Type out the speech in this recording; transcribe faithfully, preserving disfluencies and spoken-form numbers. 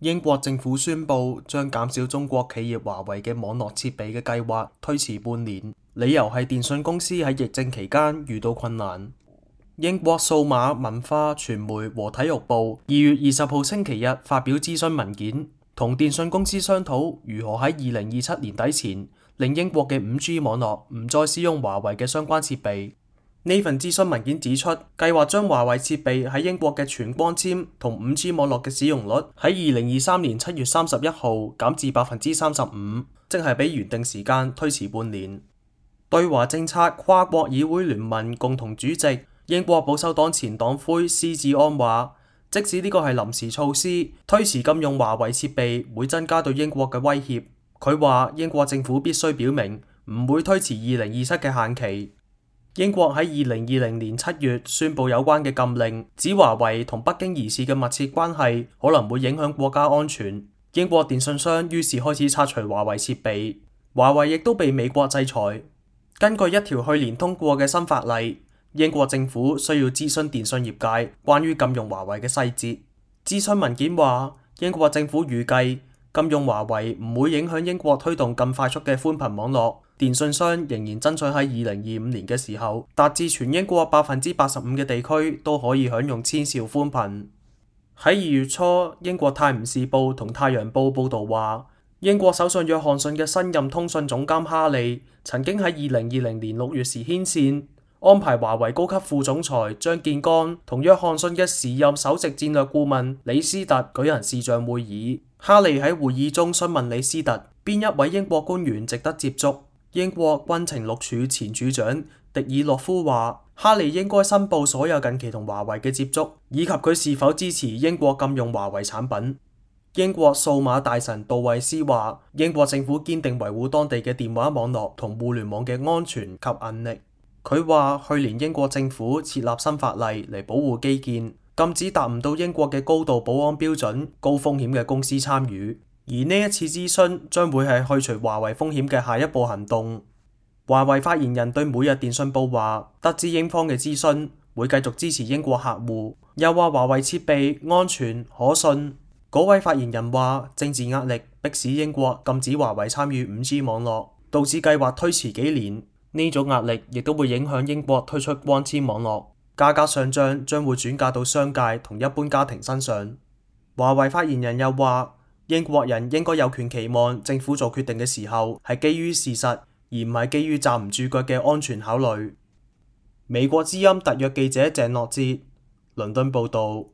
英國政府宣布將減少中國企業華為嘅網絡設備嘅計劃推遲半年，理由係電信公司喺疫症期間遇到困難。英國數碼文化傳媒和體育部二月二十號星期日發表諮詢文件，同電信公司商討如何喺二零二七年底前令英國嘅五 G 網絡唔再使用華為嘅相關設備。呢份諮詢文件指出，計劃將華為設備喺英國嘅全光纖同五 G 網絡嘅使用率喺二零二三年七月三十一號減至百分之三十五，即係比原定時間推遲半年。對華政策跨國議會聯盟共同主席、英國保守黨前黨魁施志安話，即使呢個係臨時措施，推遲禁用華為設備會增加對英國嘅威脅。佢話英國政府必須表明唔會推遲二零二七嘅限期。英國喺二零二零年七月宣布有關嘅禁令，指華為同北京疑似嘅密切關係可能會影響國家安全。英國電信商於是開始拆除華為設備，華為亦都被美國制裁。根據一條去年通過嘅新法例，英國政府需要諮詢電信業界關於禁用華為嘅細節。諮詢文件話，英國政府預計禁用華為唔會影響英國推動更快速嘅寬頻網絡。電信商仍然爭取喺二零二五年嘅時候，達至全英國百分之八十五嘅地區都可以享用千兆寬頻。喺二月初，英國泰晤士報同太陽報報道話，英國首相約翰遜嘅新任通訊總監哈利曾經喺二零二零年六月時牽線，安排華為高級副總裁張建剛同約翰遜嘅時任首席戰略顧問李斯特舉行視像會議。哈利喺會議中詢問李斯特邊一位英國官員值得接觸。英國軍情六處前處長迪爾洛夫話，哈利應該申報所有近期同華為嘅接觸，以及佢是否支持英國禁用華為產品。英國數碼大臣杜維斯話，英國政府堅定維護當地嘅電話網絡同互聯網嘅安全及韌力。佢話，去年英國政府設立新法例嚟保護基建，禁止達唔到英國嘅高度保安標準、高風險嘅公司參與。而呢一次諮詢將會係去除華為風險嘅下一步行動。華為發言人對每日電訊報話，得知英方嘅諮詢，會繼續支持英國客戶，又話華為設備安全可信。嗰位發言人話，政治壓力迫使英國禁止華為參與五 G 網絡，導致計劃推遲幾年。呢種壓力亦都會影響英國推出光纖網絡，價格上漲將會轉嫁到商界同一般家庭身上。華為發言人又話，英國人應該有權期望政府做決定嘅時候係基於事實，而唔係基於站唔住腳嘅安全考慮。美國之音特約記者鄭諾哲，倫敦報導。